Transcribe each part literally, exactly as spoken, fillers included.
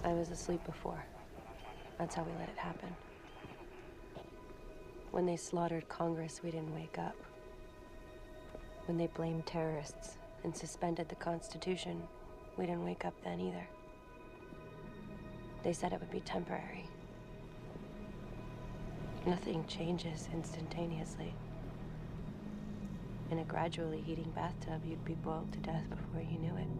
I was asleep before. That's how we let it happen. When they slaughtered Congress, we didn't wake up. When they blamed terrorists and suspended the Constitution, we didn't wake up then either. They said it would be temporary. Nothing changes instantaneously. In a gradually heating bathtub, you'd be boiled to death before you knew it.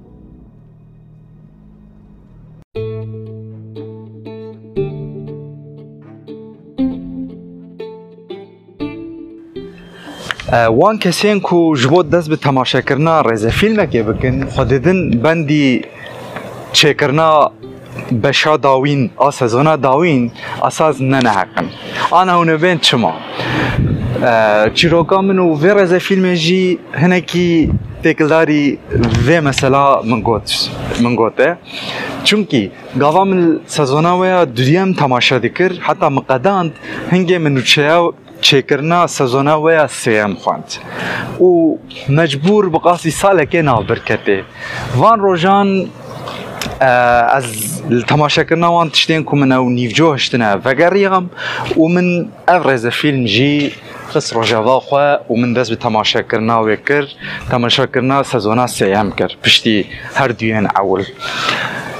E, wan kesên ku ji bo dest bi temaşekirina rêzefîlmekê bikin, xwe didin bendî çêkirina beşa dawîn a sezona dawîn esas ne neheq in. Ana hûn ê bên çima? E, çîroka min û vê rêzefîlmê jî hinekî têkildarî vê mesela min got, min gote. Çimkî gava min sezona wê ya duyem temaşe dikir, heta min qedand, hingê min nûçeya çêkirina sezona wê ya sêyem xwend û mecbûr bi qasî salekê navbir ketê. Van rojan, e, ez li temaşekirina wan tiştên ku min ew nîvcoh hiştine vegeriyam û min ev rêzefîlm jî xist rojeva xwe û min dest bi temaşekirina wê kir. Temaşekirina sezona sêyem kir, piştî her duyên ewil.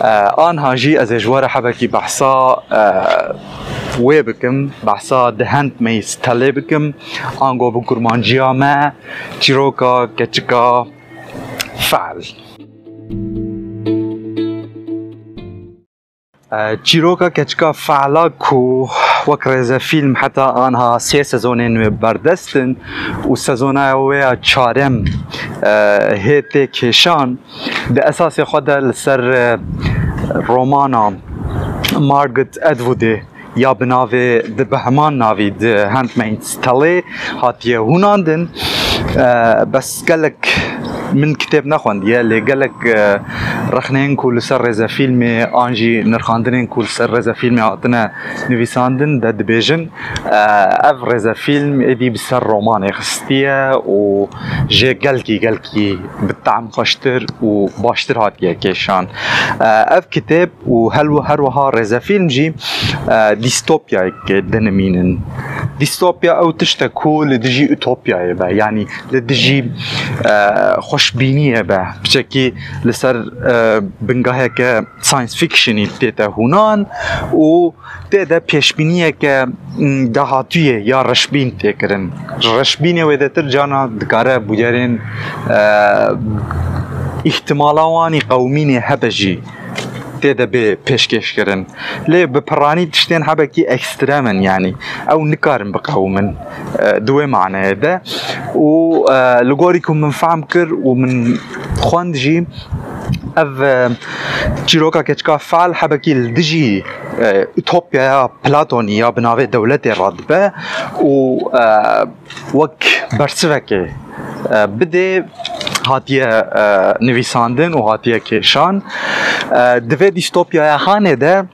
E, anha jî ez ê ji we re hebekî behsa, e, wê bikim, behsa The Handmaid's Tale bikim, ango bi kurmanciya me, çîroka keçika Fe'l. E, çîroka keçika Fe'la ku wek rêzefîlm heta anha sê sezonên wê berdest in û sezona wê ya çarem, e, hê tê kêşan, di esasê xwe de li ser, e, romana Margaret Atwoodê ya bi navê, di bi heman navî, The Handmaid's Tale hatiye hûnandin. E, bes gelek min kitêb nexwendiye, lê gelek, e, rexneyên ku li ser rêzefîlmê an jî nirxandinên ku li ser rêzefîlmê hatine nivîsandin de dibêjin, e, ev rêzefîlm êdî bi ser romanê xistiye û jê gelkî, gelkî bi tehm xweştir û baştir hatiye kêşan. E, ev kitêb û hel-, her wiha rêzefîlm jî, e, dîstopyayekê dinimînin. Dîstopya ew tişt e ku li dijî utopyayê be, yanî li dijî, e, xweşbîniyê be. Piçekî li ser, e, bingeheke science fictionî tête hûnan û tê de pêşbîniyeke, m, dahatûyê ya reşbîn tê kirin. Reşbînê wêdetir cana dikare bûyerên, e, îhtimala wanî qewimînê hebe jî tê de bê pêşkêşkirin. Lê bi piranî tiştên hebekî ekstrem in, yanî ew nikarin biqewimin, e, di wê maneyê de. Û, e, li gorî ku min fehm kir û min xwend jî, ev, e, çîroka keçika Fe'l hebekî li dijî, e, utopyaya Platonî ya bi navê dewletê radibe û, e, wek bersivekê, e, bidê hatiye, e, nivîsandin û hatiye kêşan. E, di vê dîstopyaya hanê de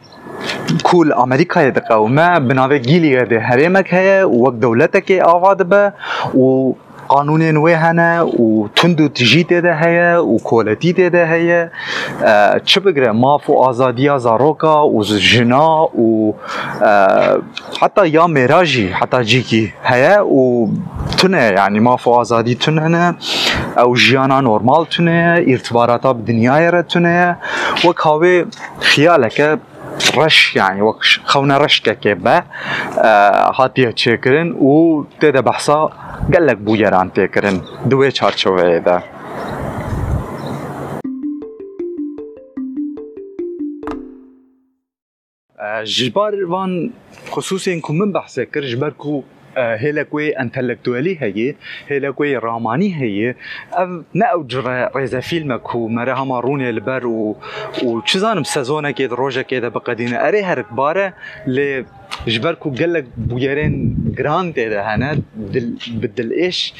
ku li Amerîkayê diqewime, bi navê Gileadê herêmek heye û wek dewletekê ava dibe û qanûnên wê hene û tund û tijî tê de heye û koletî tê de heye. E, çi bigire maf û azadiya zaroka û jina û, e, heta ya mêra jî heta cîkî heye û tune ye, yanî maf û azadî tune ne, ew jiyana normal tune ye, îrtibarata bi dinyayê re tune ye. Wek hawê xiyaleke reş, yanî wek ş-, xewnereşkekê be, e, hatiye çêkirin û tê de behsa gelek bûyeran tê kirin di wê çarçoveyê de. E, ji bar van xisûsên ku min behsê kir, ji ber ku, e, hêlek wê entelektuelî heye, hêlek wê ramanî heye, ev ne ew cure rêzefîlm e ku mere hema rûnê li ber û, û çi zanim sezonekê di rojekê de biqedîne. Erê, herikbar e, lê ji ber ku gelek bûyerên giran tê de hene, dil, bi dilêş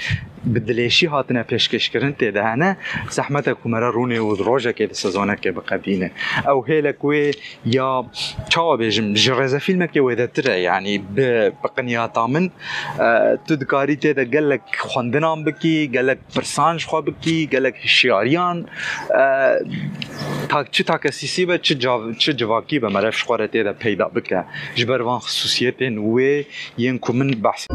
bi dilêşî hatine pêşkêşkirin tê de hene, zehmet e ku me re rûnê û rojekê di sezonekê biqedîne. Ew hêlek wê ya, çawa bêjim, ji rêzefîlmekê wêdetir e, yanî bi, bi qinyata min, e, tu dikarî tê de gelek xwendinan bikî, gelek pirsan ji xwe bikî, gelek hişyariyan, e, tak-, çi takesîsî be, çi cav-, çi civakî be, meriv ji xwe re tê de peyda bike. Ji ber van xisûsiyetên wê yên ku min behs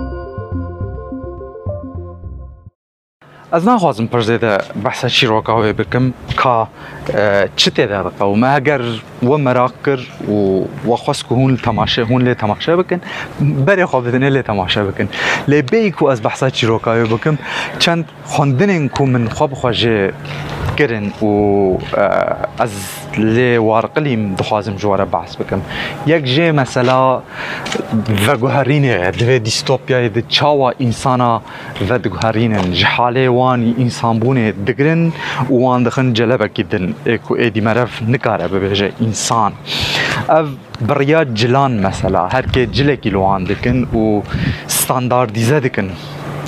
Ez naxwazim pir zêde behsa çîroka wê bikim, ka, e, çi tê de diqewime. Heger we meraq kir û we xwest ku hûn li temaşe, hûn lê temaşe bikin, berê xwe bidinê lê temaşe bikin. Lê bêyî ku ez behsa çîroka wê bikim, çend xwendinên ku min xwe bi xwe jê kirin û, e, ez lê warqilîm, dixwazim ji we re behs bikim. Yek jê mesela veguherînê ye, di vê dîstopyayê de çawa însana vediguherînin, ji halê wan î însanbûnê digirin û wan dixin celebekî din, ê ku êdî meriv nikare bibêje însan. Ev bi riya cilan mesela, her kê cilekî li wan dikin û standardîze dikin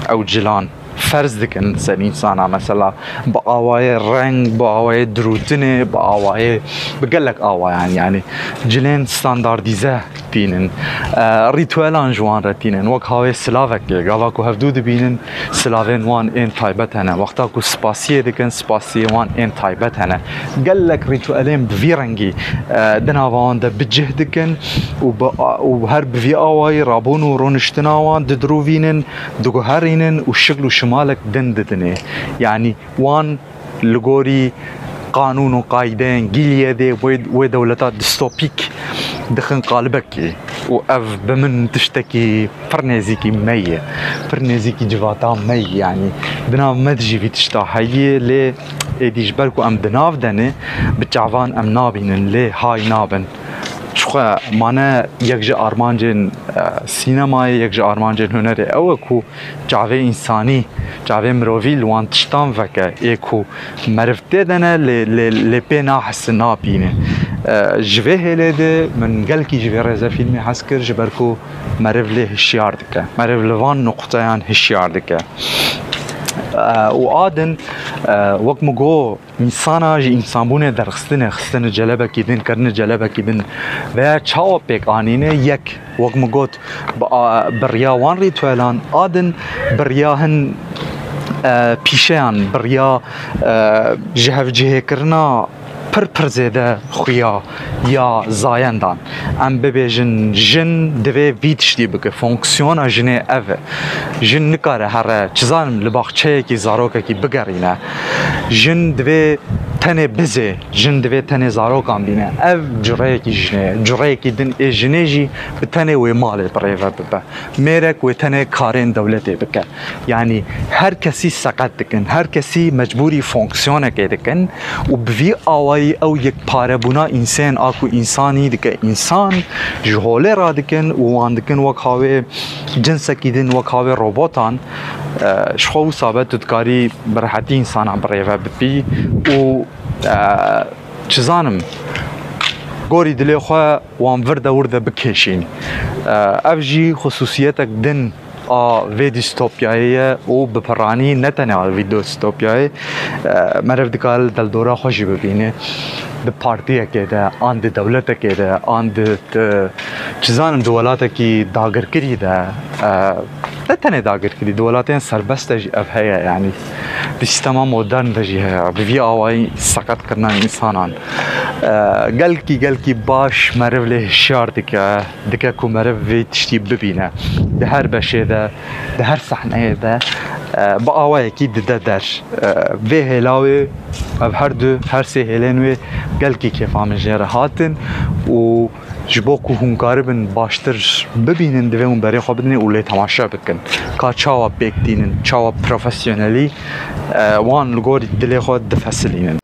ew cilan. Ferz dikin ser însana, mesela bi awayê reng, bi awayê dirûtinê, bi awayê, bi gelek awayan, yanî cilên standardîze tînin. E, rîtuelan ji wan re tînin. Wek hawê silavekê, gava ku hevdû dibînin, silavên wan ên taybet hene. Wexta ku spasiyê dikin, spasiyê wan ên taybet hene. Gelek rîtuelên bi vî rengî, e, di nava wan de bi cih dikin û bi, û her bi vî awayî rabûn û rûniştina wan didirûvînin, diguherînin û şikl û şimalek din didinê. Yanî wan li gorî qanûn û qaydeyên Gîliyedê wê, wê dewleta distopîk dixin qalibekî û ev bi min tiştekî pir nêzîkî me ye, pir nêzîkî civata me ye. Yanî di nav me de jî vî tişta heye, lê êdî ji ber ku em di nav de ne, bi çavan em nabînin, lê hay nabin. Çixwe mane yek ji armancên, e, sînemayê, yek ji armancên hunerê ew e ku çavê însanî, çavê mirovî li wan tiştan veke, ê ku meriv tê de ne, lê, lê, lê pê nahisi, nabîne. E, ji vê hêlê de min gelkî ji vê rêzefîlmê hez kir, ji ber ku meriv lê hişyar dike. Meriv li van nuqteyan hişyar dike. E, û a din, e, wek min got, Însana ji însanbûnê derxistine, xistine celebekî din, kirine celebekî din veya çawa pêk anîne, yek, wek min got, bi a-, bi riya wan rîtuelan, a din bi riya hin, e, pîşeyan, bi riya, e, ji hevcihêkirina pir pir zêde xuya ya zayendan. Em bibêjin, jin divê vî tiştî bike. Fonksiyona jinê ev e. Jin nikare here, çi zanim, li baxçeyekî zarokekî bigerîne. Jin divê tenê bizê, jin divê tenê zarokan bîne. Ev cureyekî jinê ye. Cureyekî din ê jinê jî bi tenê wê malê birêve bibe. Mêrek wê tenê karên dewletê bike. Yanî her kesî seqet dikin, her kesî mecbûrî fonksiyonekê dikin û bi vî awayî ew yekparebûna însên a ku însanî dike însan, ji holê radikin û wan dikin wek hawê cinsekî din, wek hawê robotan. E, ji xwe wisa be tu dikarî bi rehetî însana birêve bibî û, e, çi zanim, gorî dilê xwe wan vir de wir de bikêşîn. E, ev jî xisûsiyetek din a vê dîstopyayê ye û bi piranî ne tenê a vê dîstopyayê, e, meriv dikare li dildora xwe jî bibîne. Di partiyekê de, an di dewletekê de, an di, di, çi zanim, di welatekî dagirkirî de, e, ne tenê dagirkirî, di welatên serbest de jî ev heye, yanî di sîstema modern de jî heye, bi vî awayî seqetkirina însanan. E, gelkî, gelkî baş meriv lê hişyar dike, dike ku meriv vê tiştî bibîne. Di her beşê de, di her sahneyê de, e, bi awayekî dide der. E, vê hêla wê, ev her du, her sê hêlên wê gelkî kêfa min jê re hatin û ji bo ku hûn karibin baştir bibînin, divê hûn berê xwe bidinê û lê temaşe bikin. Ka çawa pêk tînin, çawa profesyonelî, e, wan li gorî dilê xwe difesilînin.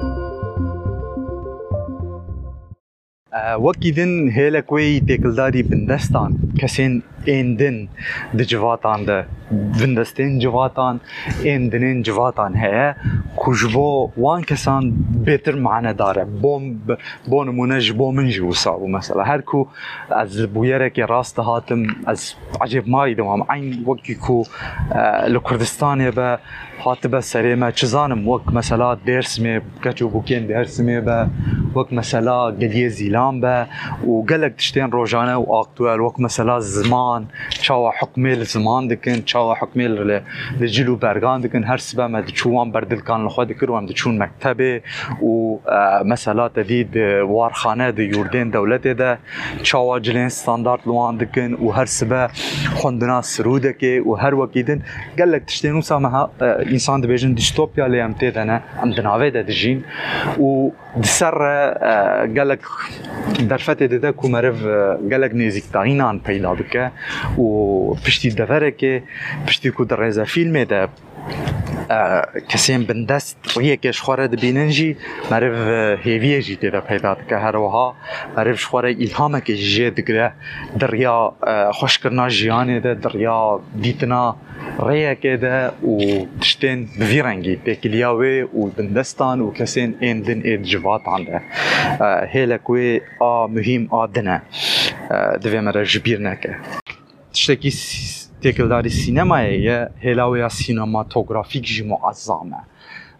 E, wekî din hêlek wê yî têkildarî bindestan, kesên ên din di civatan de, bindestên civatan, ên dinên civatan heye ku ji bo wan kesan bêtir manedar e. Bo, bo nimûne ji bo min jî wisa bû mesela. Her ku ez li bûyerekê rast dihatim, ez ecêb mayî dimam. Eyn wekî ku, e, li Kurdistanê be, hatibe serê me, çi zanim, wek mesela Dêrsimê, keç û bûkên Dêrsimê be, wek mesela Geliyê Zîlan be û gelek tiştên rojane û aktuel, wek mesela ziman, çawa hukmê li ziman dikin, çawa hukmê li, li cil û bergan dikin, her sibe me diçû wan berdilkan li xwe dikir û em diçûn mektebê û, e, mesela te dî di warxane, di yurdên dewletê de, çawa cilên standart li wan dikin û her sibe xwendina sirûdekê û her wekî din gelek tiştên wisa me ha, e, însan dibêjin dîstopya, lê em tê de ne, em di navê de dijîn û di ser re, e, gelek derfetê dide ku meriv, e, gelek nêzîktayînan peyda bike û piştî deverekê, piştî ku di rêzefîlmê de e, kesên bindest riyekê ji xwe re dibînin jî, meriv, e, hêviyê jî tê de peyda dike. Her wiha meriv ji xwe re îlhamekê jî jê digire di riya, e, xweşkirina jiyanê de, di riya dîtina rêyekê de û tiştên bi vî rengî têkiliya wê û bindestan û kesên ên din ê di civatan de. E, hêlek wê a muhîm a din e. E, divê me re ji bîr neke. Tiştekî s-, têkildarî sînemayê ye, hêla wê ya sînematografîk jî muezzam e.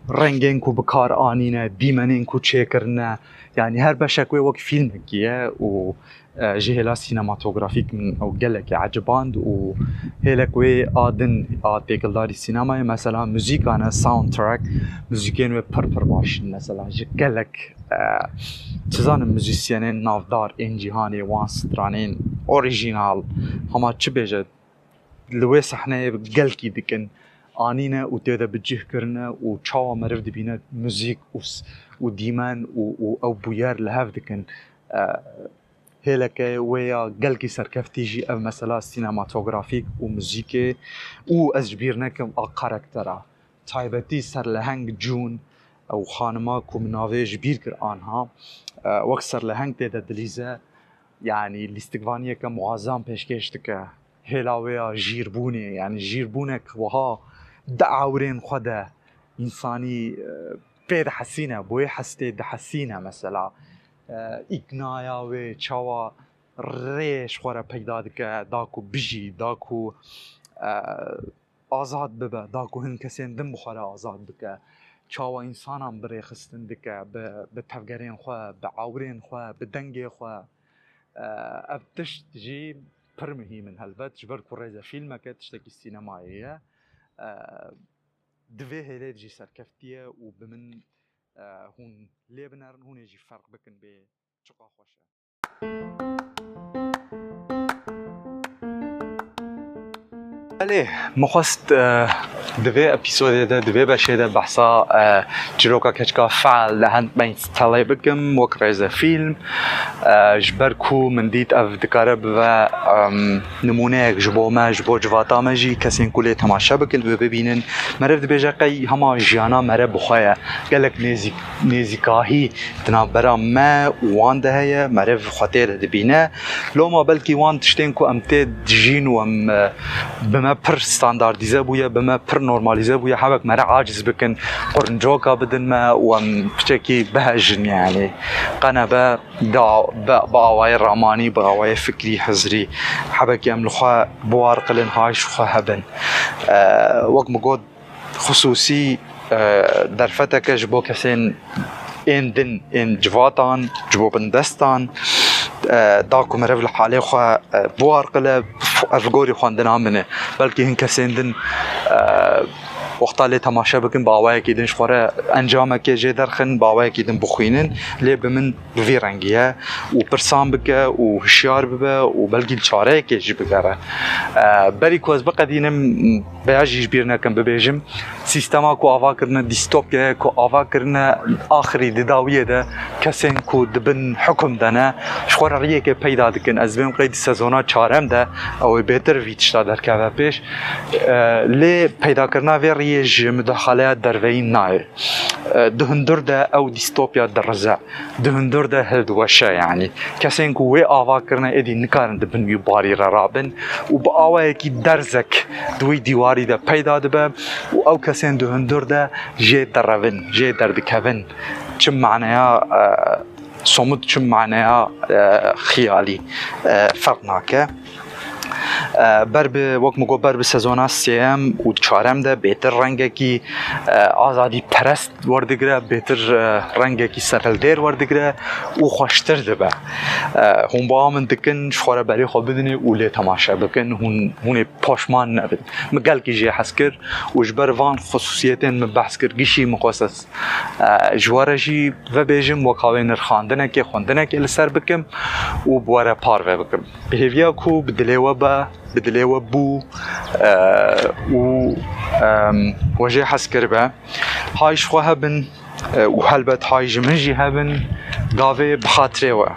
Rengên ku bi kar anîne, dîmenên ku çêkirine, yanî her beşek wê wek fîlmekî ye û, e, ji hêla sînematografîk min ew gelekî eciband û hêlek wê a din a têkildarî sînemayê, mesela muzîka ne, soundtrack, muzîkên wê pir pir baş in, mesela ji gelek e, çi zanim, muzîsyenên navdar ên cîhanê, wan stranên orîjînal, hema çi bêje, li wê sehneyê gelkî dikin, anîne û tê de bi cih kirine û çawa meriv dibîne muzîk û s-, û dîmen û, û ew bûyer li hev dikin. E, hêleke wê ya gelkî serkeftî jî ev mesela sînematografîk û muzîkê û ez ji bîr nekim a karaktera. Taybetî serleheng June, ew xanima ku min navê ji bîr kir anha, e, wek serleheng tê de dilîze, yanî lîstikvaniyeke muazam pêşkêş dike. Hêla wê ya jîrbûnê, yanî jîrbûnek wiha di ewrên xwe de însanî, e, pê dihesîne, bo yê hestê dihesîne mesela. E, îknaya wê çawa rê ji xwe re peyda dike, da ku bijî, da ku, e, azad bibe, da ku hin kesên din bi xwe re azad bike, çawa însanan bi rêxistin dike, bi, bi tevgerên xwe, bi ewrên xwe, bi dengê xwe. E, ev tişt jî pir muhîm in helbet, ji ber ku rêzefîlmeke tiştekî sînemayê ye. E, di vê hêlê de jî serkeftî ye û bi min, e, hûn lê binerin, hûn ê jî ferq bikin bê çiqa xweş e. Belê, min xwest, e, di vê epîsodê de, di vê beşê de behsa, e, çîroka keçika Feal Handmaid's Tale bikim, wek rêzefîlm. E, ji ber ku min dît ev dikare bibe, em, nimûneyek ji bo me, ji bo civata me jî, kesên ku lê temaşe bikin, wê bibînin. Meriv dibêje qey hema jiyana meriv bi xwe ye. Gelek nêzîk-, nêzîkahî di navbera me û wan de heye, meriv xwe tê de dibîne. Loma belkî wan tiştên ku em tê dijîn û em, e, bi me pir standardîze bûye, bi me pir normalîze bûye, hewek me re aciz bikin, quruncoka bidin me û em piçekî bihejin, yanî qenebe da, bi, bi awayê ramanî, bi awayê fikrî, hizrî, hebekî em li xwe biwarqilin, hay ji xwe hebin. E, wek min got, xisûsî, e, derfeteke ji bo kesên ên din, ên civatan, ji bo bindestan, e, da ku meriv li halê xwe, e, biwarqile, ev gorî xwendina min e. Belkî hin kesên din, e, wexta lê temaşe bikin, bi awayekî din ji xwe re encamekê jê derxin, bi awayekî din bixwînin, lê bi min bi vî rengî ye û pirsan bike û hişyar bibe û belkî li çareyekê jî bigere. E, berî ku ez biqedînim, veya jî ji bîr nekim bibêjim, sîstema ku ava kirine dîstopya ye, ku ava kirine axirî di dawiyê de kesên ku di bin hukum de ne, ji xwe re riyekê peyda dikin. Ez dibêm qey di sezona çarem de ew ê bêtir vî tişta derkeve pêş. E, lê peydakirina vê riyê yê ji mudaxaleya derveyî nayê. E, di hundir de ew dîstopya dirize, di hundir de hildiweşe, yanî kesên ku wê ava kirine êdî nikarin di bin wî barî re rabin û bi awayekî derzek di wî dîwarî de peyda dibe û ew kesên di hundir de jê derevin, jê derdikevin. Çi maneya, e, somut, çi maneya, e, xiyalî, e, ferq nake. E, ber bi, wek min got, ber bi sezona sêyem û çarem de bêtir rengekî, e, azadî perest werdigire, bêtir, e, rengekî serhildêr werdigire û xweştir dibe. E, hûn bawa min dikin, ji xwe re berê xwe bidinê û lê temaşe bikin, hûn, hûn ê poşman nebin. Min gelkî jê hez kir û ji ber van xusûsiyetên min behs kir, gişî mixwest ez, e, ji we re jî vebêjim, wek hawê nirxandinekê, xwendinekê li ser bikim û bi we re parve bikim. Bi hêviya ku bi dilê we be, bi dilê we bû, e, û, em, we jê hez kiribe. Hay ji xwe hebin, e, û helbet hay ji min jî hebin, gavê bi xatirê we.